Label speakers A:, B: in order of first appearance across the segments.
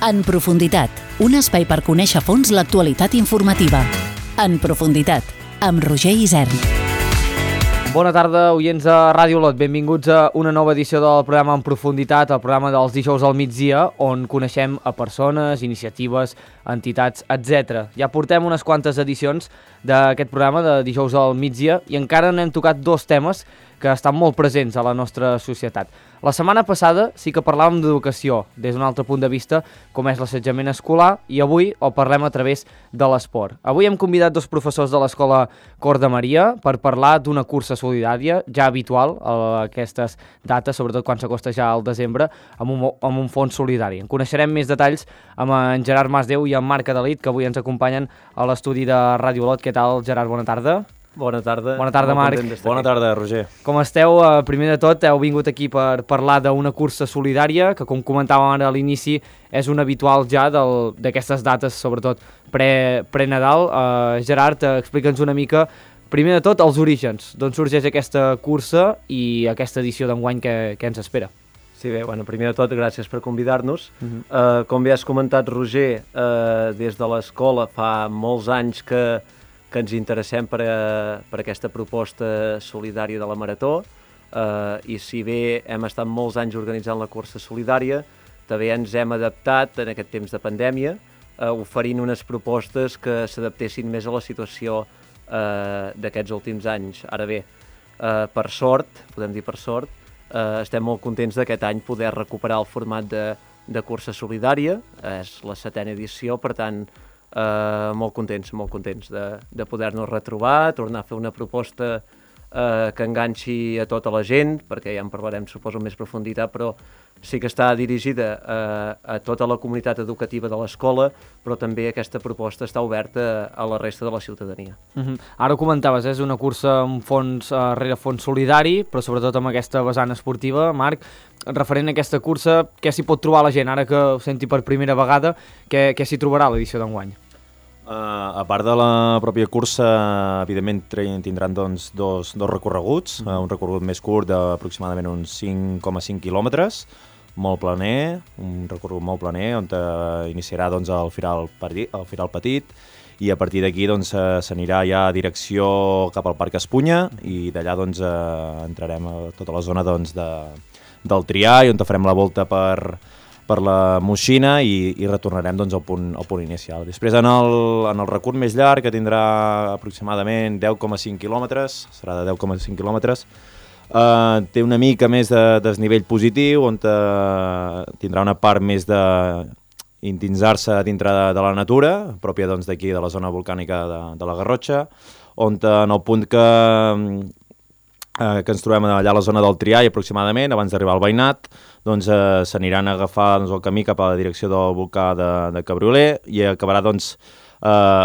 A: En profunditat, un espai per conèixer a fons l'actualitat informativa. En profunditat, amb Roger Isern.
B: Bona tarda, oients de Ràdio Olot. Benvinguts a una nova edició del programa En profunditat, el programa dels dijous al migdia, on coneixem a persones, iniciatives, entitats, etc. Ja portem unes quantes edicions d'aquest programa de dijous al migdia i encara n'hem tocat dos temes que estan molt presents a la nostra societat. La setmana passada sí que parlàvem d'educació des d'un altre punt de vista, com és l'assetjament escolar, i avui ho parlem a través de l'esport. Avui hem convidat dos professors de l'Escola Cor de Maria per parlar d'una cursa solidària ja habitual a aquestes dates, sobretot quan s'acosta ja al desembre, amb un fons solidari. En coneixerem més detalls amb en Gerard Masdeu i en Marc Adalit, que avui ens acompanyen a l'estudi de Ràdio Olot. Què tal, Gerard? Bona tarda.
C: Bona tarda.
B: Bona tarda, Marc.
C: Bona tarda, Roger.
B: Com esteu? Primer de tot, heu vingut aquí per parlar d'una cursa solidària que, com comentàvem ara a l'inici, és un habitual ja d'aquestes dates, sobretot pre-Nadal. Gerard, explica'ns una mica, primer de tot, els orígens. D'on sorgeix aquesta cursa i aquesta edició d'enguany que ens espera?
C: Sí, bé, primer de tot, gràcies per convidar-nos. Com bé has comentat, Roger, des de l'escola fa molts anys que ens interessem per aquesta proposta solidària de la Marató, i si bé hem estat molts anys organitzant la cursa solidària, també ens hem adaptat en aquest temps de pandèmia, oferint unes propostes que s'adaptessin més a la situació d'aquests últims anys. Ara bé, per sort, podem dir per sort, estem molt contents d'aquest any poder recuperar el format de cursa solidària. És la 7a edició, per tant, molt contents de poder-nos retrobar, tornar a fer una proposta que enganxi a tota la gent, perquè ja en parlarem, suposo, en més profunditat, però sí que està dirigida a tota la comunitat educativa de l'escola, però també aquesta proposta està oberta a la resta de la ciutadania.
B: Ara ho comentaves, és una cursa amb fons rere fons solidari, però sobretot amb aquesta vessant esportiva. Marc, referent a aquesta cursa, què s'hi pot trobar la gent? Ara que ho senti per primera vegada, què s'hi trobarà a l'edició d'enguany?
D: A part de la pròpia cursa, evidentment tindran dos recorreguts, un recorregut més curt d'aproximadament uns 5,5 quilòmetres, molt planer, un recorregut molt planer, on iniciarà el Firal Petit, i a partir d'aquí s'anirà ja a direcció cap al Parc Espunya, i d'allà entrarem a tota la zona del Trià, i on farem la volta per la Moixina i retornarem al punt inicial. Després, en el recorregut més llarg, que tindrà aproximadament 10,5 quilòmetres, serà de 10,5 quilòmetres, té una mica més de desnivell positiu, on tindrà una part més d'indinsar-se dintre de la natura, pròpia d'aquí, de la zona volcànica de la Garrotxa, on en el punt que ens trobem allà a la zona del Trià, i aproximadament, abans d'arribar al Veïnat, s'aniran a agafar el camí cap a la direcció del volcà de Cabrioler, i acabarà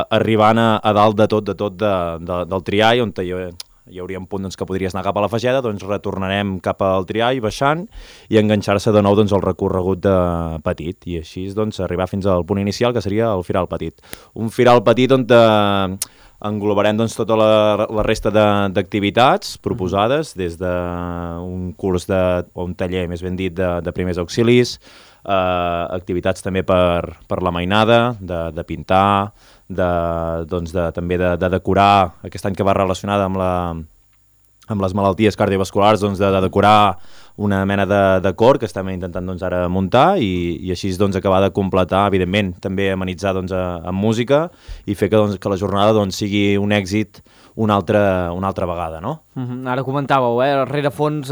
D: arribant a dalt de tot del Trià, i on hi hauria un punt que podries anar cap a la Fageda, retornarem cap al Trià i baixant, i enganxar-se de nou al recorregut petit, i així arribar fins al punt inicial, que seria el Firal Petit. Un Firal Petit on englobarem tota la resta d'activitats proposades, des d'un curs o un taller, més ben dit, de primers auxilis, activitats també per la mainada, de pintar, també de decorar, aquest any que va relacionada amb les malalties cardiovasculars, de decorar una mena de cor que estem intentant ara muntar, i així acabar de completar, evidentment, també amenitzar amb música, i fer que la jornada sigui un èxit una altra vegada, no?
B: Ara comentàveu, rerefons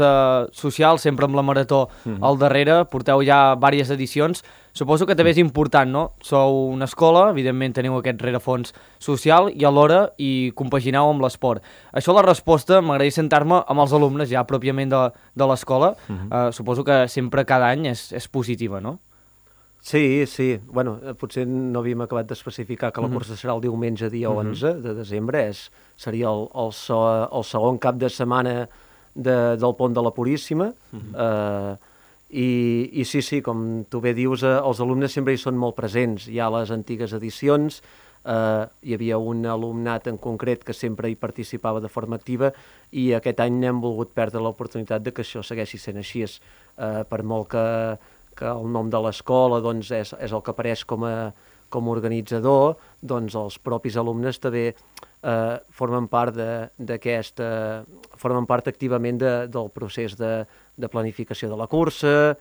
B: social, sempre amb la Marató al darrere, porteu ja diverses edicions. Suposo que també és important, no? Sou una escola, evidentment teniu aquest rerefons social, i alhora hi compagineu amb l'esport. Això, la resposta, m'agradaria sentar-me amb els alumnes ja pròpiament de l'escola. Suposo que sempre, cada any, és positiva, no?
C: Sí. Potser no havíem acabat d'especificar que la cursa serà el diumenge, dia 11 de desembre. Seria el segon cap de setmana del Pont de la Puríssima. I sí, com tu bé dius, els alumnes sempre hi són molt presents. Hi ha les antigues edicions, hi havia un alumnat en concret que sempre hi participava de forma activa, i aquest any hem volgut perdre l'oportunitat de que això segueixi sent així. Per molt que el nom de l'escola doncs, és el que apareix com a organitzador, doncs els propis alumnes també formen part formen part activament del procés de planificació de la cursa,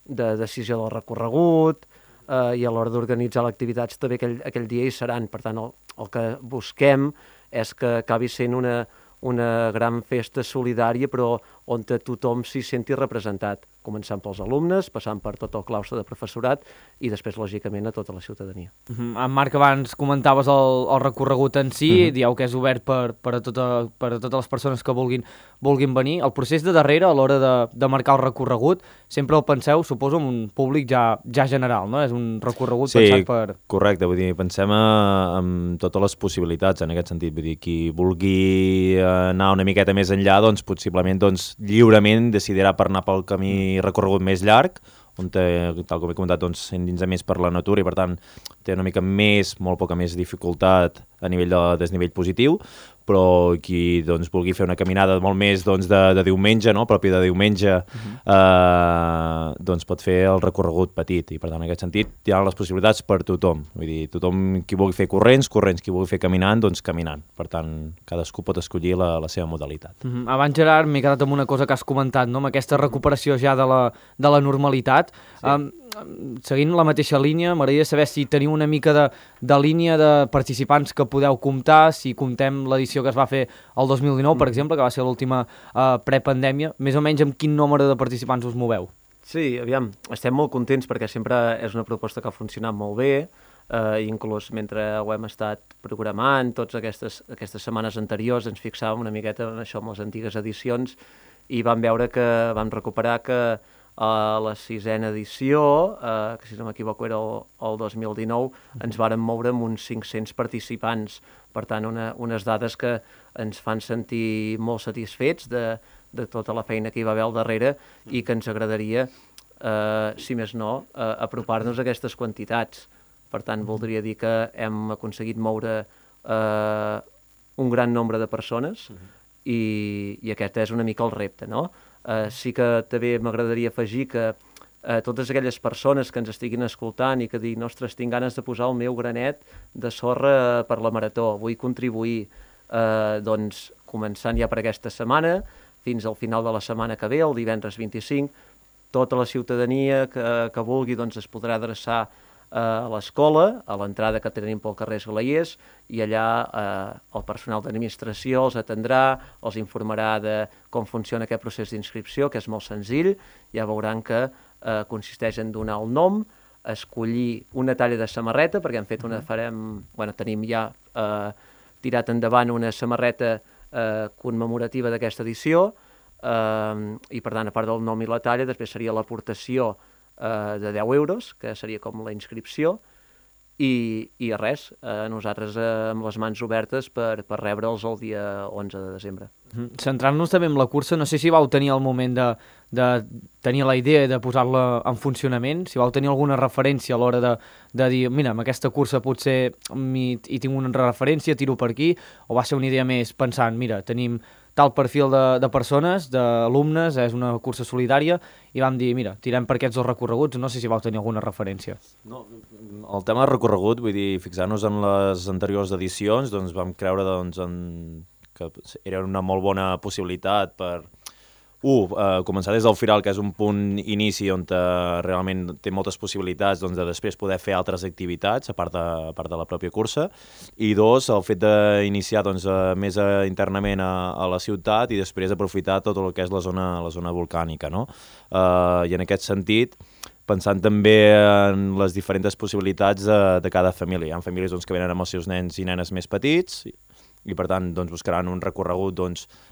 C: de decisió del recorregut, i a l'hora d'organitzar l'activitat també aquell dia hi seran. Per tant, el que busquem és que acabi sent una gran festa solidària, però on tothom s'hi senti representat, començant pels alumnes, passant per tot el claustre de professorat i després, lògicament, a tota la ciutadania.
B: En Marc, abans comentaves el recorregut en si, dieu que és obert per a totes les persones que vulguin venir. El procés de darrere, a l'hora de marcar el recorregut, sempre el penseu, suposo, en un públic ja general, no? És un recorregut pensat per...
D: Sí, correcte, vull dir, pensem en totes les possibilitats en aquest sentit, vull dir, qui vulgui anar una miqueta més enllà, doncs possiblement lliurement decidirà per anar pel camí recorregut més llarg, on tal com he comentat, s'endinsa més per la natura i per tant té una mica molt poca més dificultat a nivell de desnivell positiu, però qui vulgui fer una caminada molt més de diumenge, no? Propi de diumenge, pot fer el recorregut petit i per tant en aquest sentit hi ha les possibilitats per tothom, vull dir, tothom qui vulgui fer corrents, qui vulgui fer caminant, caminant, per tant cadascú pot escollir la seva modalitat.
B: Abans, Gerard, m'he quedat amb una cosa que has comentat, no? Amb aquesta recuperació ja de la normalitat. Seguint la mateixa línia, m'agradaria saber si teniu una mica de línia de participants que podeu comptar, si comptem l'edició que es va fer el 2019, per exemple, que va ser l'última prepandèmia, més o menys amb quin nombre de participants us moveu?
C: Sí, aviam, estem molt contents perquè sempre és una proposta que ha funcionat molt bé, inclús mentre ho hem estat programant, totes aquestes setmanes anteriors ens fixàvem una miqueta en això amb les antigues edicions i vam veure que vam recuperar que a la 6ª edició, que si no m'equivoco era el 2019, ens vàrem moure amb uns 500 participants. Per tant, unes dades que ens fan sentir molt satisfets de tota la feina que hi va haver al darrere i que ens agradaria, si més no, apropar-nos a aquestes quantitats. Per tant, voldria dir que hem aconseguit moure un gran nombre de persones i aquest és una mica el repte, no? Sí que també m'agradaria afegir que totes aquelles persones que ens estiguin escoltant i que diguin, ostres, tinc ganes de posar el meu granet de sorra per la marató, vull contribuir, doncs començant ja per aquesta setmana, fins al final de la setmana que ve, el divendres 25, tota la ciutadania que vulgui doncs, es podrà adreçar a l'escola, a l'entrada que tenim pel carrer Esglaiers, i allà el personal d'administració els atendrà, els informarà de com funciona aquest procés d'inscripció, que és molt senzill. Ja veuran que consisteix en donar el nom, escollir una talla de samarreta, perquè tenim ja tirat endavant una samarreta commemorativa d'aquesta edició, i per tant, a part del nom i la talla, després seria l'aportació de 10 euros, que seria com la inscripció, i res, nosaltres amb les mans obertes per rebre'ls el dia 11 de desembre.
B: Centrant-nos també en la cursa, no sé si vau tenir el moment de tenir la idea de posar-la en funcionament, si vau tenir alguna referència a l'hora de dir, mira, amb aquesta cursa potser hi tinc una referència, tiro per aquí, o va ser una idea més pensant, mira, tenim tal perfil de persones, d'alumnes, és una cursa solidària, i vam dir, mira, tirem per aquests dos recorreguts, no sé si vau tenir alguna referència.
D: No, el tema de recorregut, vull dir, fixant-nos en les anteriors edicions, doncs vam creure que era una molt bona possibilitat per començar des del Firal, que és un punt inici on realment té moltes possibilitats de després poder fer altres activitats, a part de la pròpia cursa, i dos, el fet d'iniciar més internament a la ciutat i després aprofitar tot el que és la zona volcànica, no? I en aquest sentit, pensant també en les diferents possibilitats de cada família. Hi ha famílies que venen amb els seus nens i nenes més petits, i per tant buscaran un recorregut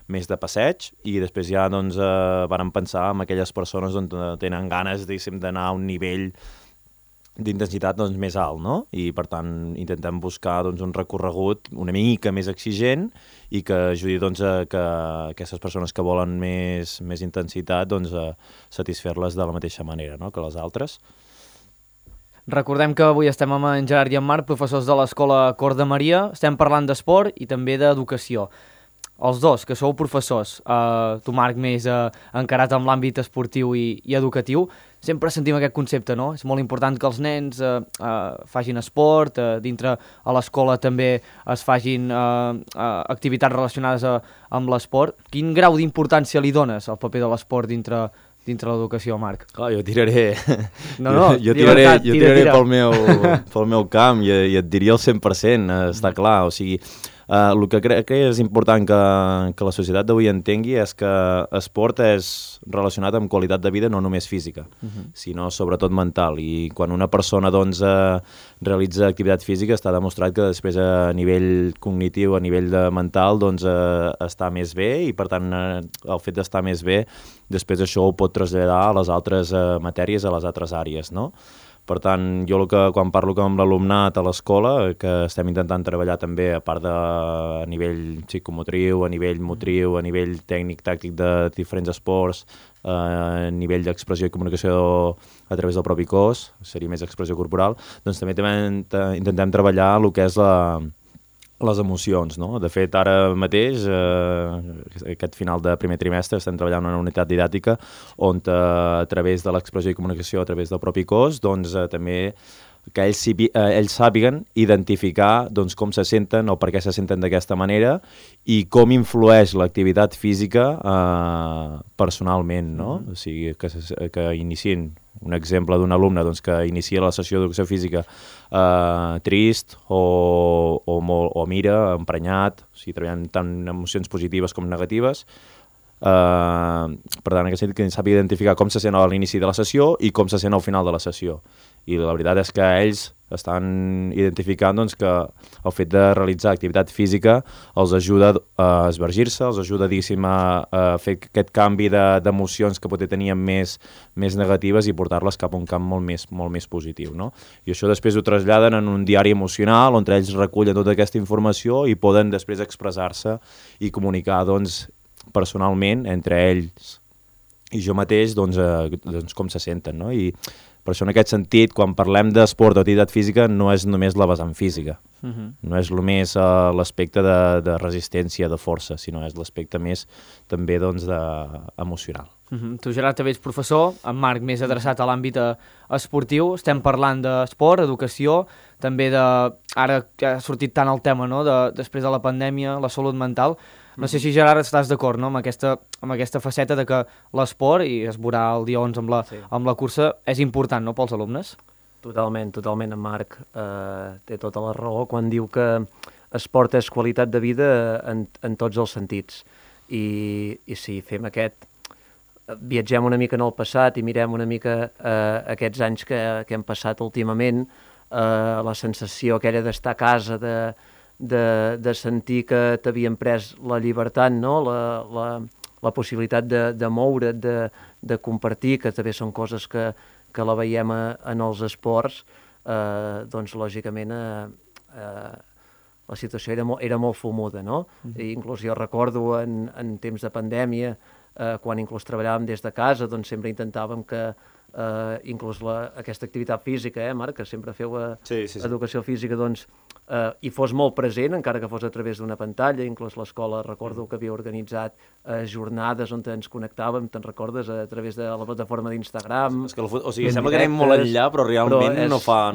D: més de passeig, i després ja varen pensar en aquelles persones on tenen ganes d'anar a un nivell d'intensitat més alt, no? I per tant intentem buscar un recorregut una mica més exigent i que ajudi a que aquestes persones que volen més intensitat satisfer-les de la mateixa manera, no?, que les altres.
B: Recordem que avui estem amb en Gerard i en Marc, professors de l'Escola Cor de Maria. Estem parlant d'esport i també d'educació. Els dos, que sou professors, tu, Marc, més encarat amb l'àmbit esportiu i educatiu, sempre sentim aquest concepte, no? És molt important que els nens facin esport, dintre a l'escola també es facin activitats relacionades amb l'esport. Quin grau d'importància li dones al paper de l'esport dintre l'educació, Marc?
D: Clar, jo tiraré... jo
B: tira.
D: tiraré pel meu camp i et diria el 100%, està clar. O sigui, el que crec que és important que la societat d'avui entengui és que esport és relacionat amb qualitat de vida no només física, sinó sobretot mental. I quan una persona doncs, realitza activitat física està demostrat que després a nivell cognitiu, a nivell mental, doncs, està més bé i per tant el fet d'estar més bé després això ho pot traslladar a les altres matèries, a les altres àrees, no? Per tant, jo quan parlo amb l'alumnat a l'escola, que estem intentant treballar també a part a nivell psicomotriu, a nivell motriu, a nivell tècnic-tàctic de diferents esports, a nivell d'expressió i comunicació a través del propi cos, seria més expressió corporal, doncs també intentem treballar el que és les emocions, no? De fet, ara mateix, aquest final de primer trimestre, estem treballant en una unitat didàctica on a través de l'expressió i comunicació a través del propi cos, doncs també que ells sàpiguen identificar doncs, com se senten o per què se senten d'aquesta manera i com influeix l'activitat física personalment, no? O sigui, que iniciïn un exemple d'un alumne doncs, que inicia la sessió d'educació física trist o mira, emprenyat, o sigui, treballant tant emocions positives com negatives. Per tant, en aquest sentit, que sàpiga identificar com se sent a l'inici de la sessió i com se sent al final de la sessió. I la veritat és que ells estan identificant doncs, que el fet de realitzar activitat física els ajuda a esvergir-se, els ajuda a fer aquest canvi d'emocions que potser tenien més negatives i portar-les cap a un camp molt més positiu, no? I això després ho traslladen en un diari emocional on ells recullen tota aquesta informació i poden després expressar-se i comunicar doncs, personalment entre ells i jo mateix doncs, com se senten, no? I per això en aquest sentit, quan parlem d'esport o activitat física, no és només la vessant física, no és només l'aspecte de resistència, de força, sinó és l'aspecte més també doncs, emocional.
B: Tu, Gerard, també ets professor, en Marc més adreçat a l'àmbit esportiu. Estem parlant d'esport, educació, també ara que ha sortit tant el tema, no? Després de la pandèmia, la salut mental. No sé si, Gerard, estàs d'acord, no? amb aquesta faceta de que l'esport, i es veurà el dia 11 amb la cursa, és important, no?, pels alumnes?
C: Totalment, en Marc té tota la raó quan diu que esport és qualitat de vida en tots els sentits. I si fem viatgem una mica en el passat i mirem una mica aquests anys que hem passat últimament, la sensació aquella d'estar a casa, de sentir que t'havien pres la llibertat, no? La possibilitat de moure't, de compartir, que també són coses que la veiem en els esports, doncs lògicament la situació era molt fumuda, no? I inclús jo recordo en temps de pandèmia, quan inclús treballàvem des de casa, doncs sempre intentàvem que inclús aquesta activitat física, Marc, que sempre feu educació física, doncs hi fos molt present, encara que fos a través d'una pantalla. Inclús l'escola, recordo que havia organitzat jornades on ens connectàvem, te'n recordes, a través de la plataforma d'Instagram.
D: O sigui, sembla que anem molt enllà, però realment no fa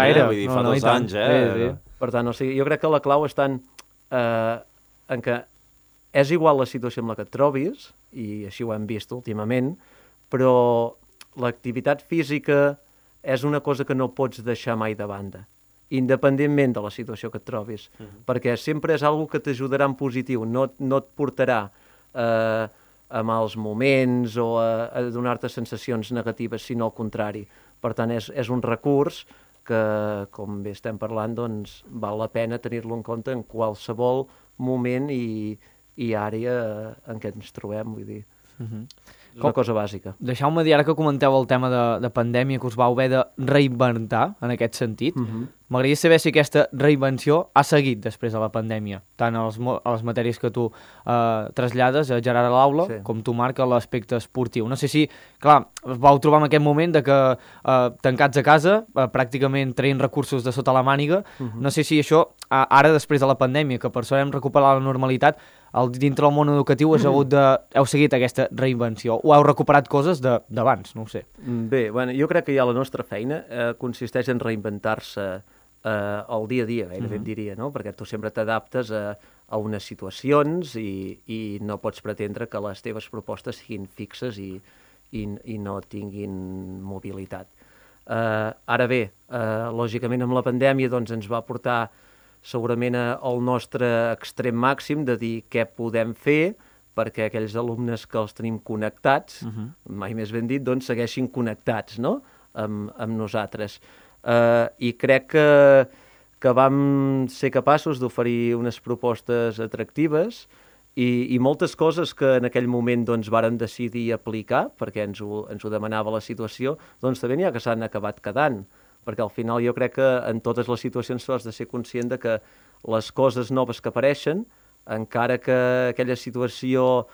B: gaire.
D: Vull dir, fa 2 anys,
B: Sí.
C: Per tant, jo crec que la clau està en que és igual la situació en la que et trobis, i així ho hem vist últimament, però l'activitat física és una cosa que no pots deixar mai de banda, independentment de la situació que et trobis, perquè sempre és una cosa que t'ajudarà en positiu, no et portarà a mals moments o a donar-te sensacions negatives, sinó al contrari. Per tant, és un recurs que, com bé estem parlant, doncs val la pena tenir-lo en compte en qualsevol moment i àrea en què ens trobem, vull dir. És una cosa bàsica.
B: Deixeu-me dir, ara que comenteu el tema de pandèmia, que us vau haver de reinventar en aquest sentit, m'agradaria saber si aquesta reinvenció ha seguit després de la pandèmia, tant a les matèries que tu trasllades, Gerard, a l'aula, com tu, Marc, a l'aspecte esportiu. No sé si, clar, us vau trobar en aquest moment de que tancats a casa, pràcticament traient recursos de sota la màniga, no sé si això, ara després de la pandèmia, que per sort hem recuperat la normalitat, dintre del món educatiu heu seguit aquesta reinvenció o heu recuperat coses d'abans, no ho sé.
C: Bé, bueno, jo crec que ja la nostra feina consisteix en reinventar-se el dia a dia, gairebé et diria, no? Perquè tu sempre t'adaptes a unes situacions i no pots pretendre que les teves propostes siguin fixes i no tinguin mobilitat. Ara bé, lògicament amb la pandèmia doncs, ens va portar segurament al nostre extrem màxim de dir què podem fer perquè aquells alumnes que els tenim connectats, mai més ben dit, doncs segueixin connectats, no? amb nosaltres. I crec que vam ser capaços d'oferir unes propostes atractives i moltes coses que en aquell moment doncs, vàrem decidir aplicar, perquè ens ho demanava la situació, doncs també n'hi ha que s'han acabat quedant, perquè al final jo crec que en totes les situacions tu has de ser conscient de que les coses noves que apareixen, encara que aquella situació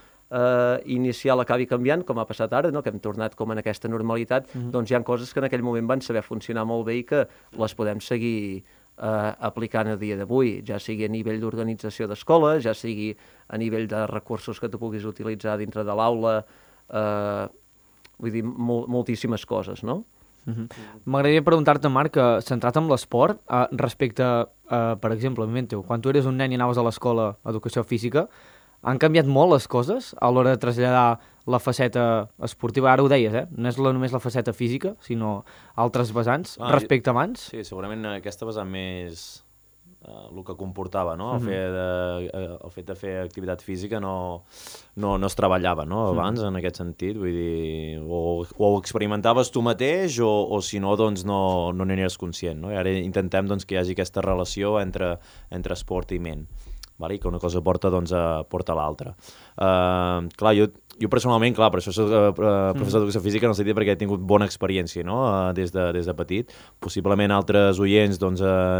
C: inicial acabi canviant, com ha passat ara, no? Que hem tornat com en aquesta normalitat, doncs hi ha coses que en aquell moment van saber funcionar molt bé i que les podem seguir aplicant a dia d'avui, ja sigui a nivell d'organització d'escola, ja sigui a nivell de recursos que tu puguis utilitzar dintre de l'aula, vull dir, moltíssimes coses, no?
B: M'agradaria preguntar-te, Marc, centrat en l'esport, respecte, per exemple, quan tu eres un nen i anaves a l'escola educació física, han canviat molt les coses a l'hora de traslladar la faceta esportiva? Ara ho deies, no és només la faceta física, sinó altres vessants, respecte abans?
D: Sí, segurament aquesta vessant més el que comportava, no? El fet de fer activitat física no es treballava, no? Abans, en aquest sentit, vull dir, o ho experimentaves tu mateix o si no, doncs no n'eres conscient, no? I ara intentem doncs, que hi hagi aquesta relació entre esport i ment, i que una cosa porta a l'altra. Clar, jo personalment, clar, per això soc professor d'educació física en el sentit perquè he tingut bona experiència, no? Des de petit. Possiblement altres oients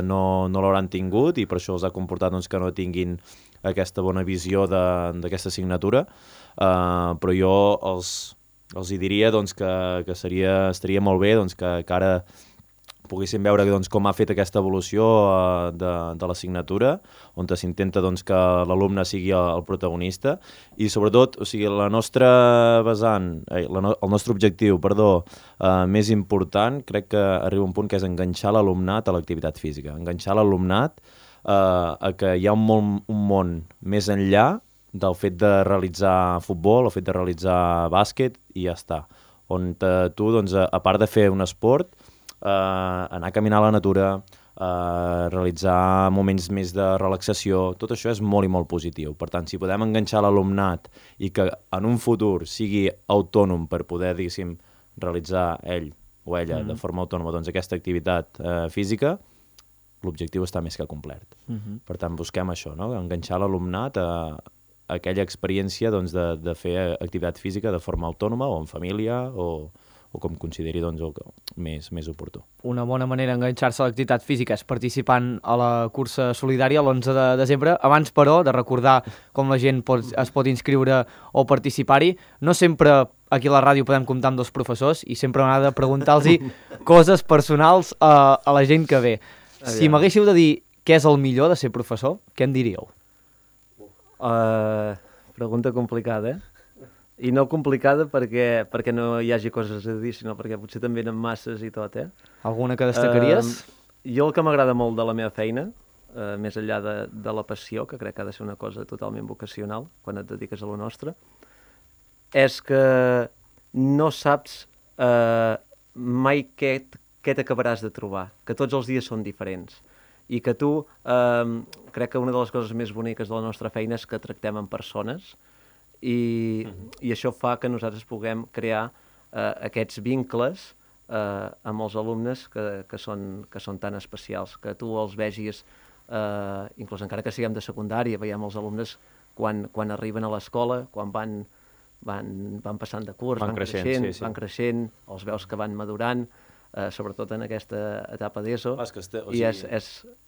D: no l'hauran tingut i per això els ha comportat que no tinguin aquesta bona visió d'aquesta assignatura, però jo els hi diria que estaria molt bé que ara poguéssim veure com ha fet aquesta evolució de l'assignatura, on s'intenta que l'alumne sigui el protagonista i sobretot, o sigui, la nostra vessant, el nostre objectiu, més important, crec que arriba un punt que és enganxar l'alumnat a l'activitat física, enganxar l'alumnat a que hi ha un món més enllà del fet de realitzar futbol, el fet de realitzar bàsquet i ja està, on tu, a part de fer un esport, anar a caminar a la natura, realitzar moments més de relaxació, tot això és molt i molt positiu. Per tant, si podem enganxar l'alumnat i que en un futur sigui autònom per poder, diguéssim, realitzar ell o ella de forma autònoma aquesta activitat física, l'objectiu està més que complet. Per tant, busquem això, no? Enganxar l'alumnat a aquella experiència de fer activitat física de forma autònoma o en família o com consideri més oportú.
B: Una bona manera d'enganxar-se a l'activitat física és participant a la cursa solidària l'11 de desembre. Abans, però, de recordar com la gent es pot inscriure o participar-hi, no sempre aquí a la ràdio podem comptar amb dos professors i sempre m'agrada preguntar-los coses personals a la gent que ve. Si m'haguéssiu de dir què és el millor de ser professor, què em diríeu?
C: Pregunta complicada, I no complicada perquè no hi hagi coses a dir, sinó perquè potser també eren masses i tot,
B: Alguna que destacaries?
C: Jo el que m'agrada molt de la meva feina, més enllà de la passió, que crec que ha de ser una cosa totalment vocacional quan et dediques a lo nostre, és que no saps mai què t'acabaràs de trobar, que tots els dies són diferents i que tu, crec que una de les coses més boniques de la nostra feina és que tractem amb persones i això fa que nosaltres puguem crear aquests vincles amb els alumnes que són tan especials, que tu els vegis, inclús encara que siguem de secundària, veiem els alumnes quan arriben a l'escola, quan van passant de curs, van creixent, els veus que van madurant, sobretot en aquesta etapa d'ESO, i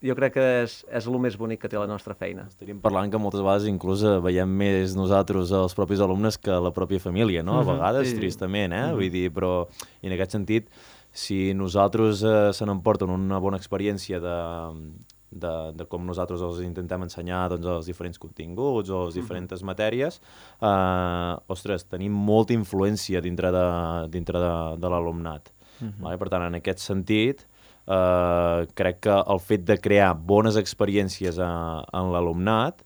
C: jo crec que és el més bonic que té la nostra feina.
D: Estaríem parlant que moltes vegades inclús veiem més nosaltres els propis alumnes que la pròpia família, no? A vegades, tristament, vull dir, però en aquest sentit, si nosaltres se n'emporten una bona experiència de com nosaltres els intentem ensenyar doncs, els diferents continguts o les diferents matèries, ostres, tenim molta influència dintre de l'alumnat. Vale? Per tant, en aquest sentit, crec que el fet de crear bones experiències en l'alumnat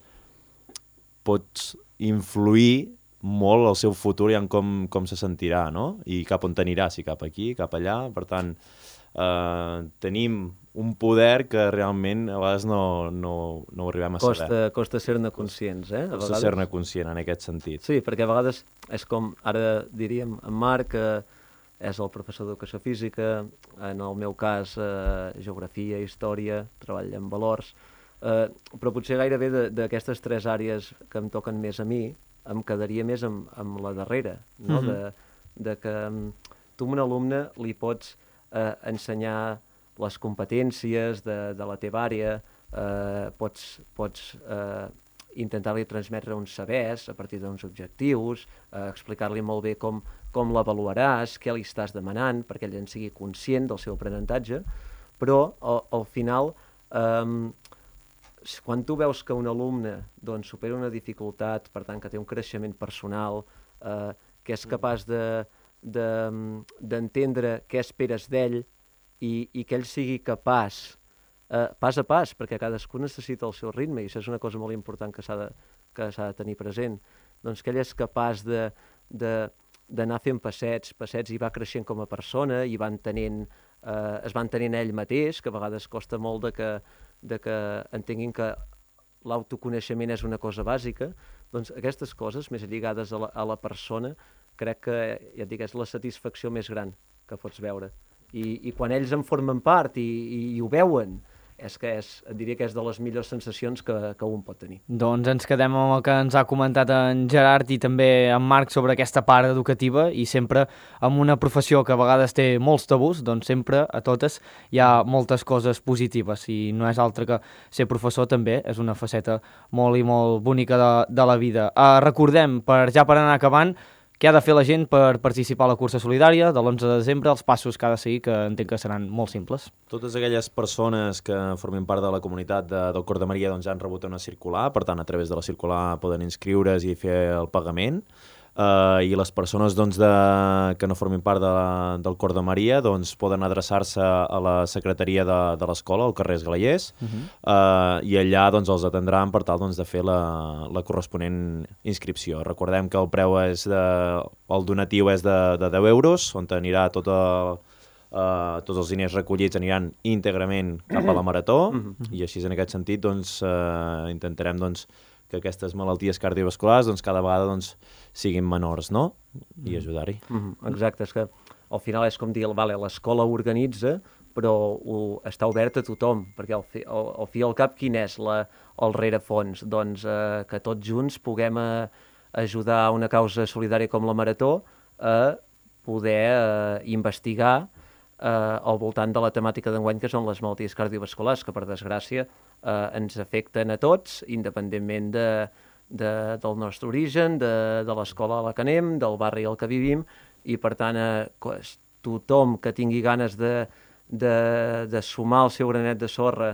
D: pots influir molt el seu futur i en com se sentirà, no? I cap on t'anirà, si cap aquí, cap allà. Per tant, tenim un poder que realment a vegades no arribem a saber.
C: Costa ser-ne conscients, eh?
D: Costa ser-ne conscient en aquest sentit.
C: Sí, perquè a vegades és com, ara diríem, en Marc, que és el professor d'educació física, en el meu cas, geografia, història, treball en valors, però potser gairebé d'aquestes 3 àrees que em toquen més a mi, em quedaria més amb la darrera, no? De que tu a un alumne li pots ensenyar les competències de la teva àrea, pots intentar-li transmetre uns sabers a partir d'uns objectius, explicar-li molt bé com l'avaluaràs, què li estàs demanant, perquè ell en sigui conscient del seu aprenentatge, però al final, quan tu veus que un alumne doncs, supera una dificultat, per tant que té un creixement personal, que és capaç d'entendre què esperes d'ell i que ell sigui capaç, pas a pas, perquè cadascú necessita el seu ritme, i això és una cosa molt important que s'ha de tenir present, doncs que ell és capaç d'anar fent passets i va creixent com a persona i es va entenent ell mateix, que a vegades costa molt de que entenguin que l'autoconeixement és una cosa bàsica, doncs aquestes coses més lligades a la persona crec que, ja et dic, és la satisfacció més gran que pots veure. I quan ells en formen part i ho veuen, et diria que és de les millors sensacions que un pot tenir.
B: Doncs ens quedem amb el que ens ha comentat en Gerard i també en Marc sobre aquesta part educativa, i sempre amb una professió que a vegades té molts tabús, doncs sempre a totes hi ha moltes coses positives, i no és altre que ser professor també és una faceta molt i molt bonica de la vida. Recordem, per anar acabant, què ha de fer la gent per participar a la cursa solidària de l'11 de desembre, els passos que ha de seguir, que entenc que seran molt simples.
D: Totes aquelles persones que formin part de la comunitat del Cor de Maria doncs, han rebut una circular, per tant, a través de la circular poden inscriure's i fer el pagament. I les persones doncs, que no formin part del Cor de Maria doncs, poden adreçar-se a la secretaria de l'escola, al carrer Esglaiers, i allà doncs, els atendran per tal doncs, de fer la corresponent inscripció. Recordem que el preu el donatiu és de 10 euros, on anirà tots els diners recollits aniran íntegrament cap a la marató, i així en aquest sentit doncs, intentarem doncs, que aquestes malalties cardiovasculars doncs, cada vegada doncs, siguin menors, no? I ajudar-hi.
C: Exacte, és que al final és com dir, l'escola organitza, però està obert a tothom, perquè al fi i al cap quin és el rerefons? Doncs que tots junts puguem ajudar a una causa solidària com la Marató a poder investigar al voltant de la temàtica d'enguany, que són les malalties cardiovasculars, que per desgràcia ens afecten a tots, independentment del nostre origen, de l'escola a la que anem, del barri al que vivim, i per tant tothom que tingui ganes de sumar el seu granet de sorra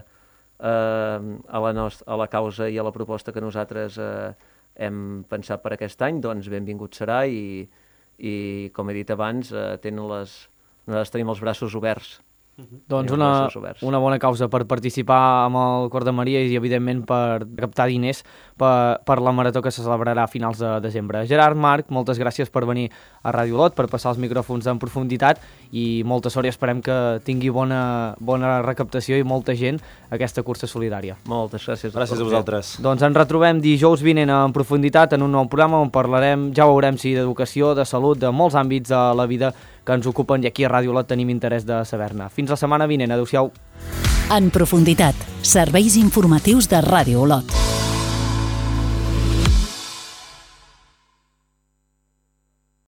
C: a la causa i a la proposta que nosaltres hem pensat per aquest any, doncs benvingut serà, i com he dit abans, nosaltres tenim els braços oberts.
B: Doncs una bona causa per participar amb el Cor de Maria i, evidentment, per captar diners per la Marató que se celebrarà a finals de desembre. Gerard, Marc, moltes gràcies per venir a Ràdio Olot, per passar els micròfons en profunditat, i molta sort, i esperem que tingui bona recaptació i molta gent aquesta cursa solidària.
C: Moltes gràcies.
D: Gràcies a vosaltres.
B: Doncs ens retrobem dijous vinent en profunditat en un nou programa on parlarem, ja veurem si d'educació, de salut, de molts àmbits de la vida que ens ocupen, i aquí a Ràdio Olot tenim interès de saber-ne. Fins la setmana vinent. Adéu-siau.
A: En profunditat, serveis informatius de Ràdio Olot.